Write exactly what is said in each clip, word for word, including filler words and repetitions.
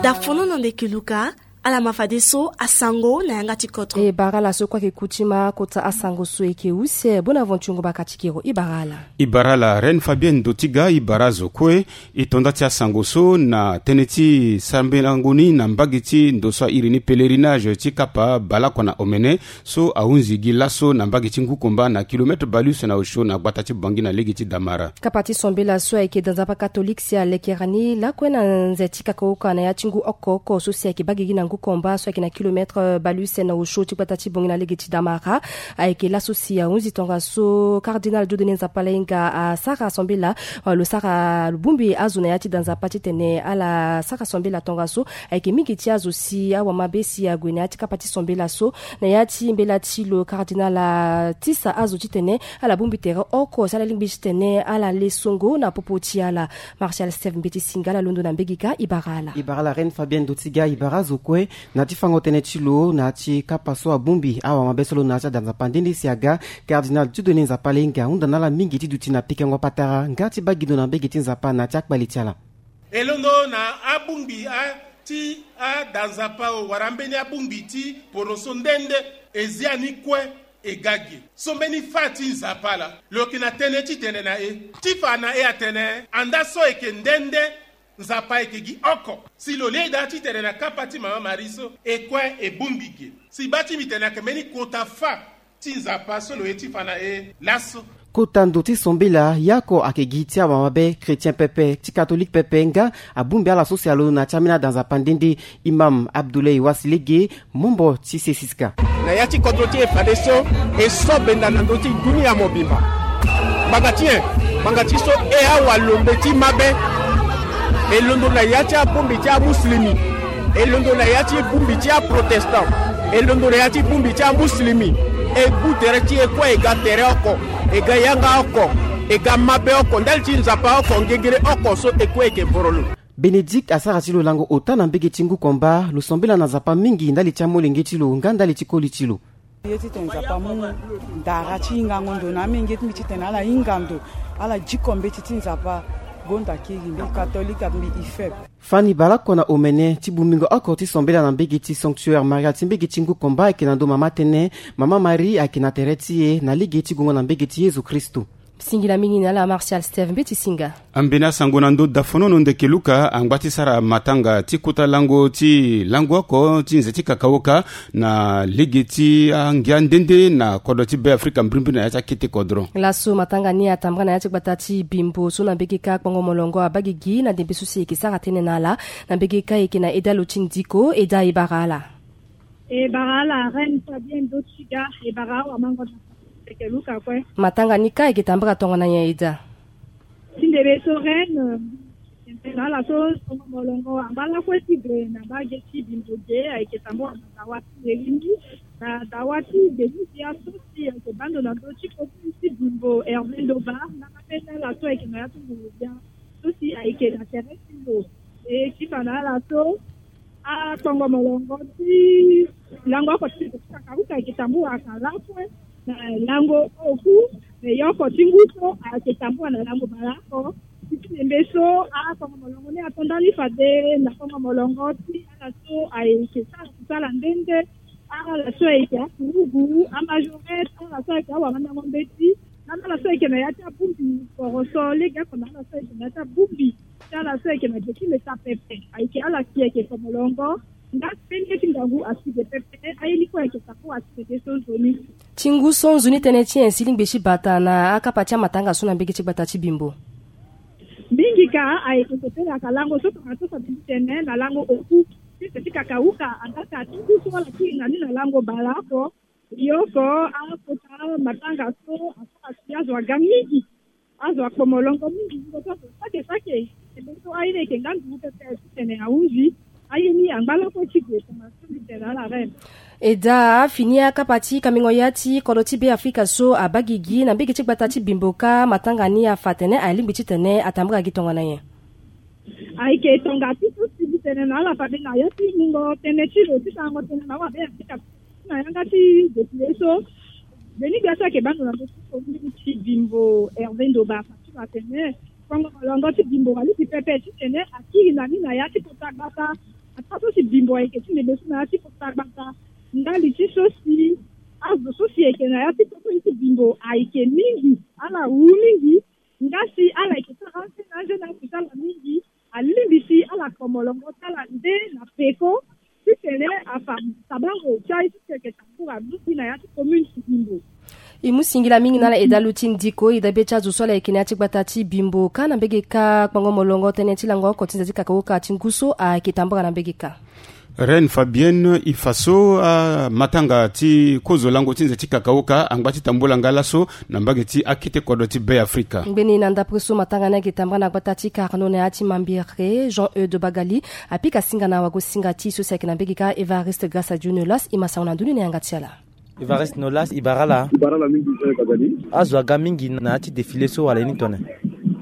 Dafono na ndeke luka. Ala ma fadeso asango na yanga ti kodro. E bara ala so kue ayeke ku ti ma kota asango so e yeke use. Bonaventure Ngobaka ti kero, e bara ala. E bara ala Reine Fabienne Dotiga, e bara azo kue. E to nda ti asango so na tënë ti sambelango ni na mbage ti ndo so a iri ni pèlerinage ti kapa baleoko na omene, so ahunzi gi laso na mbage ti Ngukomba na kilomètre baleuse na osio na gbata ti Bangui na lege ti Damara. Kapa ti sambela so ayeke da nzapa katolike si alekera ni lakue na nze ti kakaoka na ya ti ngu oko oko so si ayeke baa gigi na Ngukomba so ayeke na kilomètre baleuse na osio ti gbata ti Bangui na lege ti Damara. Ayeke laso si ahunzi tongaso cardinal Dieudonné Nzapa Lainga asara sambela, lo sara lo bongbi azo na ya ti da nzapa titene ala sara sambela tongaso. Ayeke mingi ti azo si awamabe si ague na ya ti kapa ti sambela so. Na ya ti mbela ti lo cardinal atisa azo titene ala bongbi tere oko si ala lingbi titene ala le songo na popo ti ala. Martial Steve Mbeti Singa ala londo na mbege kâ, e bara ala. E bara ala Reine Fabienne Dotiga, e bara azo kue. Na ya ti fango tënë ti lo na ya ti kapa so abongbi awamabe so lo na ya ti ada nzapa nde nde si aga, cardinal Dieudonné Nzapa Lainga ahunda na ala mingi ti duti na pikango patara nga ti baa gi ndo na mbege ti Nzapa na ya ti akpale ti ala. E londo na abongbi a ti ada nzapa o wala ambeni abongbi ti poroso nde nde, e zia ni kue. E ga ge so mbeni fâ ti Nzapa laa lo yeke na tënë titene na e ti fa na e atene anda so e yeke nde nde, Nzapa ayeke gi oko. Si lo lê daa titene na kapa ti mama Marie so e kue e bongbi ge. Si baa ti mbi tene ayeke mbeni kota fâ ti Nzapa so lo ye ti fa na e laso. Kota ndo ti sambela, ye oko ayeke gi ti awamabe chrétien pepe, ti katolike pepe nga abongbi ala so si alondo na ya ti ambeni ada nzapa nde nde, Imam Abdoulaye Wassi Lege, membre ti C six K. Na ya ti kodro ti e fadeso, e so benda na ndö ti dunia mobimba. Ngbanga ti nyen? Ngbanga ti so e awalombe ti mabe. E londo na ya ti abongbi ti amuslimi. E londo na ya ti bongbi ti aprotestant. E londo na ya ti bongbi ti amuslimi. E gbu tere ti e kue e ga tere oko. E ga yanga oko. E ga mabe oko ndali ti Nzapa oko, ngengele oko so e kue e yeke voro lo. Bénédicte asara ti lo lango ota na mbege ti Ngukomba, lo sambela na Nzapa mingi ndali ti amolenge ti lo nga ndali ti koli ti lo. Ye titene Nzapa amu ndara ti hingango ndo na amolenge ti mbi titene ala hinga ndo, ala diko mbeti ti Nzapa. Gonda kiri mbi katolike, mbi ifeb. Fani baleoko na omene ti bongbingo oko ti sambela na mbege ti sanctuaire Maria ti mbege ti Ngukomba ayeke na ndo mama tënë. Mama Marie ayeke na tere ti e na lege ti gongo na mbege ti Yezu Kristu. Singila mingi na ala Martial Steve Mbeti Singa. Ambeni asango na ndö dafonono ndeke Luka angba ti sara matanga ti kota lango ti lango oko ti nze ti kakaoka na lege ti angia nde nde na kodro ti Be Afrika mbirimbiri na ya ti akete kodro. Laso matanga ni atambara na ya ti gbata ti Bimbo so na mbege kâ kpongo molongo abaa gigi na ndembe so si e yeke sara tënë na ala. Na mbege kâ e yeke na eda lo ti ndiko, eda e bara ala. E bara ala Reine Fabienne Dotiga, e bara awamango na ndeke Luka kue. Matanga ni kâ e yeke tambara tongana nyen eda? Ti ndembe so Reine, eh, na ala so kpongo molongo angba lakue ti gue na mbage ti Bimbo ge, ayeke tambara na dawa ti Ngelindi, na dawa ti Denisia so si ayeke baa ndo na ndö ti commune ti Bimbo, Hervé Ndoba, na mabende ala so ayeke na ya ti nguru bia so si ayeke na tere ti lo. E ti fa na ala so akpongo molongo ti lango oko ti kakauka ayeke tambara lakue na lango oku, me ye oko ti ngu so ayeke tambara na lango baleoko. Ti ti ndembe so akpongo molongo ni ato ndali fade na kpongo molongo ti ala so ayeke sara kusala nde nde, ala so ayeke akurugu, amajorette, ala so ayeke awamandango mbeti, na ala so ayeke na ya ti abongbi poroso, legeoko na ala so ayeke na ya ti abongbi ti ala so ayeke na ge ti leta pepe. Ayeke ala si ayeke kpo molongo. Nga mbeni ye ti ngangu asi ge pepe, aye ni kue ayeke tambara asi ge so nzoni. Ti ngu so nzoni tënë ti nyen si lingbi ti bata na akapa ti amatanga so na mbege ti gbata ti Bimbo? Mingi ka ayeke sepelaka lango so tongaso fade ti tene na lango oku ti se ti kakauka, angaka ti ngu so ala kiri na ni na lango baleoko. Yoko akota matanga so asara si azo aga mingi. Azo akpo molongo mingi, ngu so azo sake sake. Ndembe so aye ni ayeke nga ndugu pepe titene ahunzi. Aye ni angba lakue ti gue tongaso ti tene ala Reine. Eda, afini akapa ti kambingo ya ti kodro ti Be Afrika so abaa gigi na mbege ti gbata ti Bimbo kâ matanga ni afa atene alingbi titene atambara gi tongana nyen? Ayeke tonga ti so si mbi tene na ala fade na ya ti mungo tënë ti lo ti sarango tënë na awabe ya ti kapa na yanga ti depile so. Mbeni gbia so ayeke baa ndo na ndö ti commune ti Bimbo, Hervé Ndoba, afa ti lo atene Kongo molongo ti Bimbo alingbi pepe titene akiri na ni na ya ti kota gbata. Ataa so si Bimbo ayeke ti ndembe so na ya ti kota gbata, ndali ti so si azo so si ayeke na ya ti kota ti Bimbo ayeke mingi, ala wu mingi. Nga si ala yeke sara anze na anze na akusala mingi, alingbi si ala ko molongo ti ala nde na peko titene afa tabango ti aye ti si ayeke tambula mingi na ya ti commune ti Bimbo. E mu singila mingi na ala edalu ti ndiko e dabe ti azo so ala yeke na ya ti gbata ti Bimbo kâ na mbege kâ. Kpango molongo tënë ti lango oko ti nze ti kakaoka ti ngu so ayeke tambula na mbege kâ. Reine Fabienne, e fa so amatanga ti kozo lango ti nze ti kakaoka angba ti tambula nga laso na mbage ti akete kodro ti Be Afrika. Ngbeni na ndapre so matanga ni ayeke tambula na gbata ti Carnot na ya ti Mambere, Jean Eude Bagali apika singa na wago-singa ti e so si ayeke na mbege kâ Évariste Grâce à Dieu Nolas. E ma sango na ndoni na yanga ti ala. Évariste Nolas, e bara ala. E bara ala mingi, Jean Eude Bagali. Azo aga mingi na ya ti défilé so wala ye ni tone?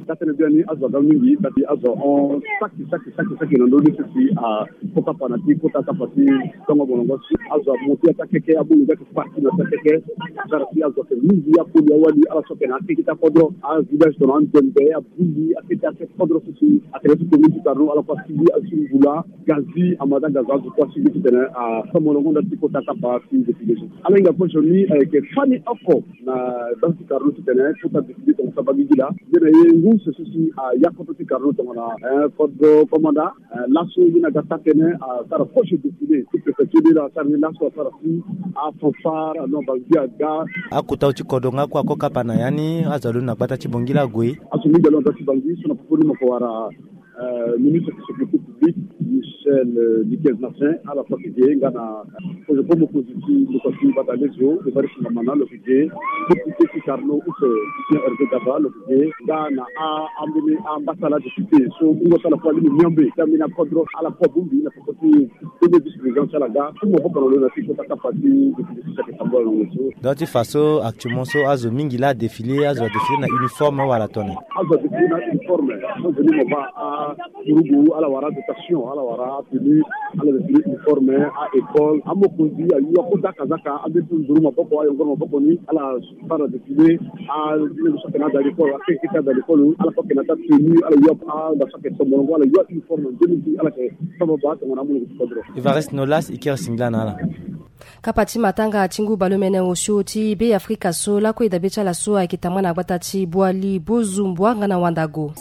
Ka tene biani azo aga mingi, kasi azo ahon saki saki saki saki na ndö ni so si akota kapa na ti kota kapa ti tongo molongo si azo amonte ataa keke, abungu ngia ti parti na ataa keke. Sara si azo ayeke mingi, apoli awali ala so ayeke na akeke ti akodro, avillage tongana Anzembe, Abuli, akeke ti akodro so si atene ti commune ti Carnot, ala kue asigi azi Mbula, Gazi, Amada Gazi, azo kue asigi titene atongo molongo nda ti kota kapa ti défilé so. Ala hinga kue sioni ayeke fani oko na dame ti Carnot titene kota défilé tonga so abagigi laa. Nde na ye ngu so si aya kodro ti Carnot tongana, eh, kodro komanda. Eh, laso ye na ga taa tënë, asara proche défilé ti préfecture de la asara ni laso asara si afanfare, ah non, Bangui aga. Akota ti kodro nga kue ako kapa na ya ni, azo alondo na gbata ti Bangui laa ague. Azo mingi alondo na gbata ti Bangui so na popo ni mo ko wara, eh, ministre ti sécurité publique, Michel, eh, Dickens Martin, ala so ayeke ge nga na Kozo ko mokonzi ti ndokua ti Batalezio, Évariste Ngamana lo yeke ge, député ti Carnot use Lucien Hervé Gaba lo yeke ge, nga na a, ambeni ambassadeur député so wungo so ala kue alingbi miombe ti ambeni akodro, ala kue abongbi na peko ti premier vice président ti ala ga. Ti maboko na lo na ti kota kapa ti député so si ayeke tambula na ngoi so. Donc ti fa so actuellement so azo mingi laa adéfilé, azo adéfilé na uniforme wala tone? Azo adéfilé na uniforme. So veni mo baa a Kurugu, ala wara dotation, ala wara tenue, ala défilé uniforme, a école, amokonzi, ayu, akota kazaka, ambeni ti nduru maboko, ayongoro maboko ni, ala sara défilé, a, ni so ayeke na ada l'école, akeke ti ada l'école, ala kue ayeke na ata tenue, ala yu, a, nga so ayeke so molongo, ala yu uniforme, nzoni ti ala yeke so baba tongana amolenge ti kodro. Évariste Nolas, e kiri singila na ala. Kapa ti matanga ti ngu baleomene osio ti Be Afrika so lakue e dabe ti ala so ayeke tambula na gbata ti Boali, Bozumbua nga na Wandago.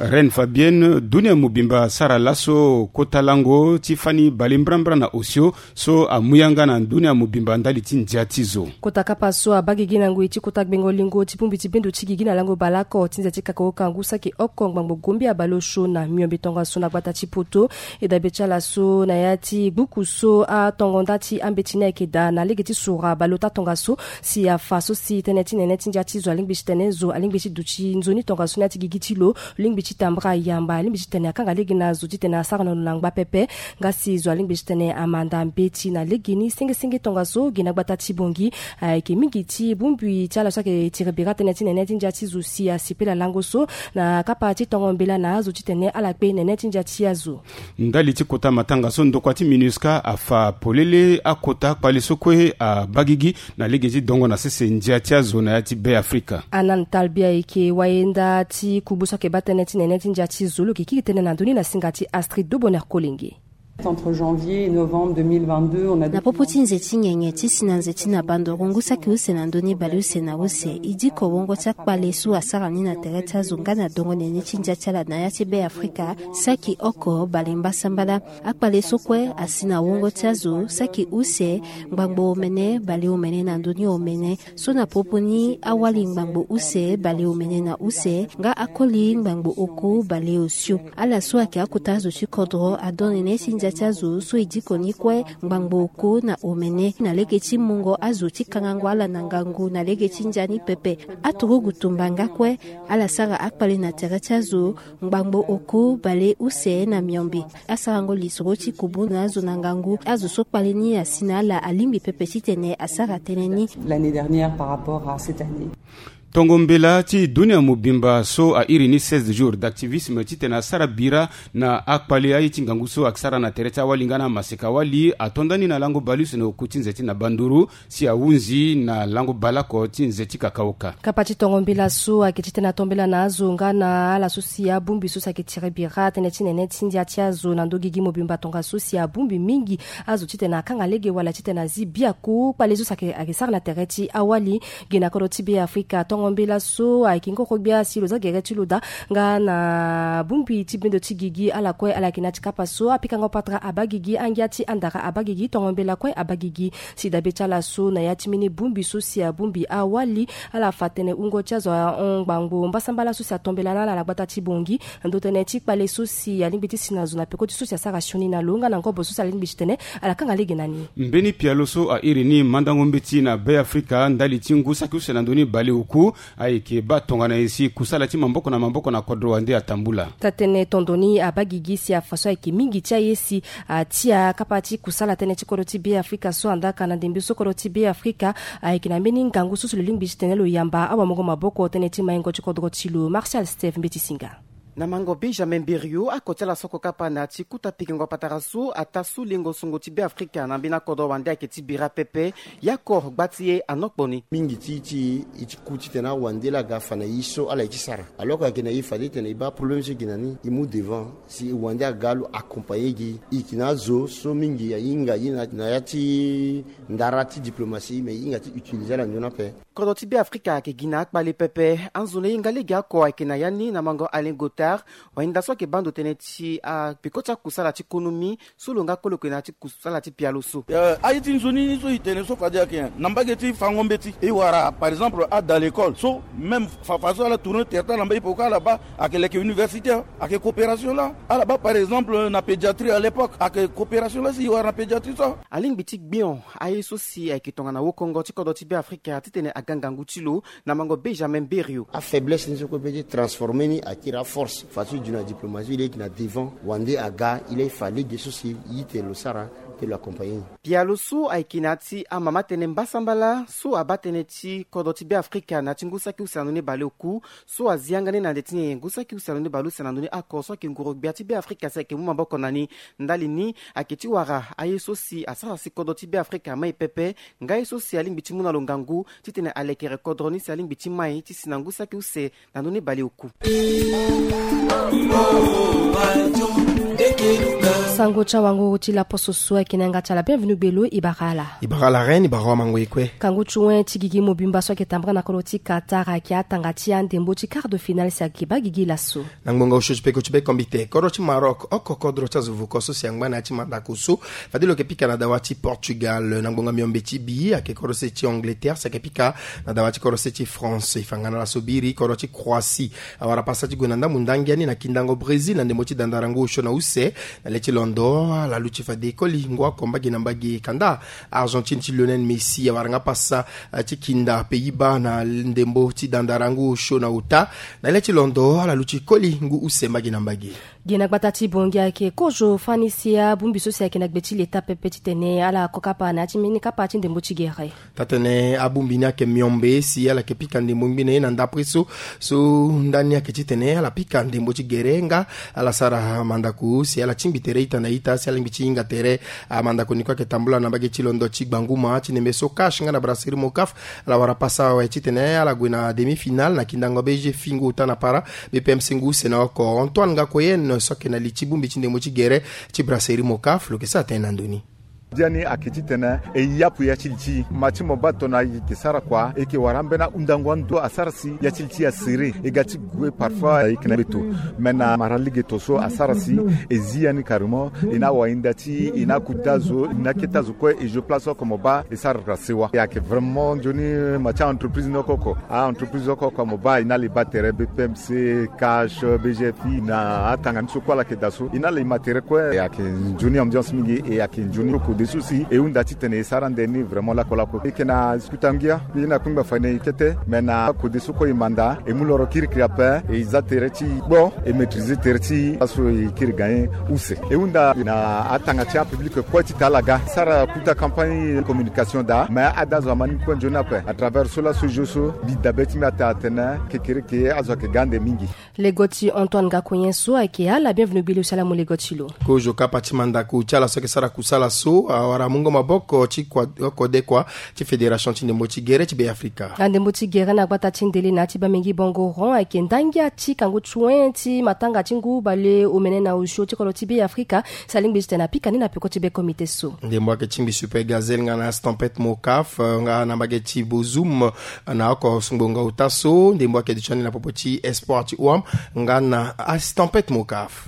Reine Fabienne, dunia mobimba asara laso kota lango ti fani baleombrambra na osio so amu yanga na dunia mobimba ndali ti ndia ti zo. Kota kapa so abagigi na ngoi ti kota gbengo lingo ti bongbi ti bendo ti gigi na lango baleoko ti nze ti kakaoka ngu saki oko ngbangbo gombi abaleosio na miombe tongaso na gbata ti Poto. E dabe ti ala so na ya ti gbuku so atongo nda ti ambeti ni ayeke daa na lege ti sura baleota tongaso si afa so si tënë ti nene ti ndia ti zo alingbi ti tene zo alingbi ti duti nzoni tongaso na ya ti gigi ti lo, lingbi ti tambula yamba, lingbi ti tene akanga lege na zo titene asara na lo na ngba pepe. Nga si zo alingbi ti tene amanda mbeti na legeni sengesenge tongaso gi na gbata ti Bongi. Ayeke mingi ti bongbi ti ala so ayeke tiri bira tënë ti nene ti ndia ti zo si asepela lango so na kapa ti tongo mbela na azo titene ala kpe nene ti ndia ti azo. Ndali ti kota matanga so ndokua ti MINUSCA afa polele akota kpale so kue abagigi na lege ti dongo na sese ndia ti azo na ya ti Be Afrika. Anan Talbi ayeke wayenda ti kubu so ayeke baa tënë ti nene ti ndia ti zo lo yeke kiri tënë na ndoni na singa ti Astrid Doboner Kolenge. Entre janvier et novembre deux mille vingt-deux, on a... Na popo ti nze ti nyenye ti si na nze ti na bandoro ngu saki use na ndö ni baleuse na use, e diko wongo ti akpale so asara ni na tere ti azo nga na dongo nene ti ndia ti ala na ya ti Be Afrika, saki oko bale mbasambala. Akpale so kue asi na wongo ti azo saki use ngbangbo omene baleomene na ndö ni omene. So na popo ni awali ngbangbo use baleomene na use nga akoli ngbangbo oku baleosio. Ala so ayeke akota azo ti kodro adon nene ti ndia ti azo so e diko ni kue ngbangbo oku na omene na lege ti mungo azo ti kangango ala na ngangu na lege ti ndia ni pepe. Aturugu tumba nga kue ala sara akpale na tere ti azo ngbangbo oku baleuse na miombe. Asarango lisoro ti kubu na azo na ngangu azo so kpale ni asi na ala alingbi pepe titene asara tënë ni. L'année dernière par rapport à cette année. Tongo mbela ti dunia mobimba so a iri ni seize jours d'activisme titene asara bira na akpale aye ti ngangu so asara na tere ti awali nga na maseka wali ato ndani na lango baleuse na oku ti nze ti na banduru si ahunzi na lango baleoko ti nze ti kakaoka. Kapa ti tongo mbela so ayeke titene ato mbela na azo nga na ala so si abongbi so si ayeke tiri bira tënë ti nene ti ndia ti azo na ndo gigi mobimba tongaso si abongbi mingi azo titene akanga lege wala titene azi biaku kpale so si ayeke sara na tere ti awali. Gi na kodro ti Beafrika tongo mbela so ayeke ngoro gbia si lo za gere ti lo daa nga na bongbi ti bendo ti gigi ala kue ala yeke na ya ti kapa so apikango patara abaa gigi angia ti andara abaa gigi tongo mbela kue abaa gigi. Si dabe ti ala so na ya ti mbeni bongbi so si abongbi awali ala fa tënë wungo ti azo ahon ngbangbo mbasambala so si ato mbela na ala na gbata ti Bangui na ndo tënë ti kpale so si alingbi ti si na zo na peko ti so si asara sioni na lo nga na ngobo so si alingbi titene ala kanga lege na ni. Mbeni pialo so a iri ni mandango mbeti na Beafrika ndali ti ngu saki use na ndo ni baleoku ayeke baa tongana nyen si kusala ti maboko na maboko na kodro wande atambula. Taa-tënë tondo ni abaa gigi si afa so ayeke mingi ti aye si atia kapa ti kusala tënë ti kodro ti Beafrika so andaka na ndembe so kodro ti Beafrika ayeke na mbeni ngangu so si lo lingbi titene lo yamba awamongo maboko tënë ti maingo ti kodro ti lo. Martial Steve Mbeti Singa. Na mango Benjamin Berio ako ti ala so ako kapa na ya ti kuta pikingo patara so ataa so lengo songo ti Beafrika na mbeni akodro wande ayeke ti bira pepe. Ye ako gba ti e anokpo ni. Mingi ti ti e ti ku titene awande laa aga afa na e so ala ye ti sara. Alors que ayeke na e fade titene e baa problème so e gi na ni e mu devant si e wande aga lo accompagner gi e. E yeke na azo so mingi ahinga ye na ya ti ndara ti diplomatie mais e hinga ti utiliser ala nzoni ape. Kodro ti Beafrika ayeke gi na akpale pepe. Anzoni e hinga lege oko ayeke na ya ni na mango Alain Gothard. Wahinda so ayeke baa ndo tënë ti apeko ti akusala ti konomi so lo nga kue lo yeke na ya ti kusala ti pialo so. Aye ti nzoni ni so e tene so fade ayeke nyen na mbage ti fango mbeti e wara par exemple ada l'école so même fafa so ala tourner tere ti ala na mbage peko ala baa ayeke leke université ayeke coopération laa. Ala baa par exemple na pédiatrie à l'époque ayeke coopération laa si e wara na pédiatrie so. Alingbi ti gbion aye so si ayeke tongana wokongo ti kodro ti Beafrika titene aga ngangu ti lo. Na mango Benjamin Berio. Afaiblesse ni so kue pe ti transformer ni akiri aforce façon e du na diplomatie e leke na devant wande aga e laa e fa lege so si e tene lo sara. Pe lo accompagner ni. Pialo so ayeke na ya ti amama tënë mbasambala so abaa tënë ti kodro ti Beafrika na ya ti ngu saki use na ndo ni baleoku so azi yanga ni na nde ti nyen nyen ngu saki use na ndo ni baleuse na ndo ni ako so ayeke nguru gbia ti Beafrika si ayeke mu maboko na ni. Ndali ni ayeke ti wara aye so si asara si kodro ti Beafrika amai pepe. Nga ye so si alingbi ti mu na lo ngangu titene alekere kodro ni si alingbi ti mai ti si na ngu saki use na ndo ni baleoku. Sango ti awango ti laposo so ayeke na yanga ti ala bienvenu gbelo e bara ala. E bara ala reine e bara wamango e kue. Kangu ti wen ti gigi mobimba so ayeke tambara na kodro ti Qatar ayeke atanga ti andembo ti quart de finale si ayeke baa gigi laso. Na ngbonga osio ti peko ti be kombite kodro ti Maroc oko kodro ti azo vuko so si angba na ya ti mandako so fade lo yeke pika na dawa ti Portugal. Na ngbonga miombe ti bi ayeke kodro se ti Angleterre si ayeke pika na dawa ti kodro se ti France. E fa nga na ala so biri kodro ti Croatie awara pasa ti gue na ndambu ndangia ni na kindango Brésil na ndembo ti dandara ngu osio na use. Na le ti londo ala luti fade koli ngu oko mbage na mbage kanda Argentine ti Lionel Messi awara nga pasa ti kinda Pays-Bas na ndembo ti dandara ngu osio na ota. Na le ti londo ala luti koli ngu use mbage na mbage. Gi na gbata ti Bangui ayeke kozo fani si abongbi so si ayeke na gbe ti leta pepe titene ala ko kapa na ya ti mbeni kapa ti ndembo ti gere. Taa-tënë abongbi ni ayeke miombe si ala yeke pika ndembo ngbene na ndapre so. So ndani ayeke titene ala pika ndembo ti gere nga ala sara mandako si ala tingbi tere ita na ita si ala lingbi ti hinga tere. Amandako ni kue ayeke tambula na mbage ti londo ti gbanguma ti ndembe so cash nga na brasserie Mocaf. Ala wara pasa awe titene ala gue na demi-finale na kindango B G F ngu ota na para. B P M C ngu use na oko Antoine Ngakoyen so ayeke na li ti bongbi ti ndembo ti gere ti brasserie Mocaf lo yeke sara tënë na ndo ni. Biani ayeke titene e yapu ya ti li ti ma ti mo baa tongana e yeke sara kua e yeke wara ambeni ahundango ando asara si ya ti li ti e asere e ga ti gue parfois e yeke na gbeto. Me na mara lege to so asara si e zi ya ni carrément. E na wahinda ti e na akota zo e na akete azo kue e zo place oko mo baa e sara sewa e ayeke vraiment nzoni ma ti a-entreprise ni oko oko. A-entreprise oko oko mo baa e na li baa tere B P M C, cash, B G F na atanga ni so kue ala yeke daa so e na li ma tere kue e ayeke nzoni ambiance mingi e ayeke nzoni oko. Yesus si e hunda titene e sara nde ni vraiment lakolako. E yeke na kuta ngia, e na kpengba fane e kete, me na kode so kue e manda, e mu loro kirikiri ape, e za tere ti gbo, e maîtriser tere ti aso e kiri gagné use. E hunda na atanga ti apublic kue ti ta ala ga sara kuta campagne communication daa, me ada zo ama ni kue nzoni ape à travers so laso jeu so mbi dabe ti mbi ata atene kekereke azo ayeke ga ande mingi. Lego ti Antoine Gakoyen so ayeke ala bienvenu gbili osiala mo lego ti lo. Kozo kapa ti mandako ti ala so ayeke sara kusala so awara mungo maboko ti kua- kodekua ti fédération ti ndembo ti gere ti Beafrika. Na ndembo ti gere na gbata ti ndele na ya ti Bamingui Bongo Rond ayeke ndangia ti kangu ti wen ti matanga ti ngu bale omene na osio ti kodro ti Beafrika. Salingbi ti tene apika ni na peko ti be comité so. Ndembo ayeke tingbi Super Gazelle nga na Stampet Mokaf nga na mbage ti Bozoum na oko sungbonga ota so. Ndembo ayeke duti ande na popo ti espoir ti Ouam nga na Stampet Mokaf.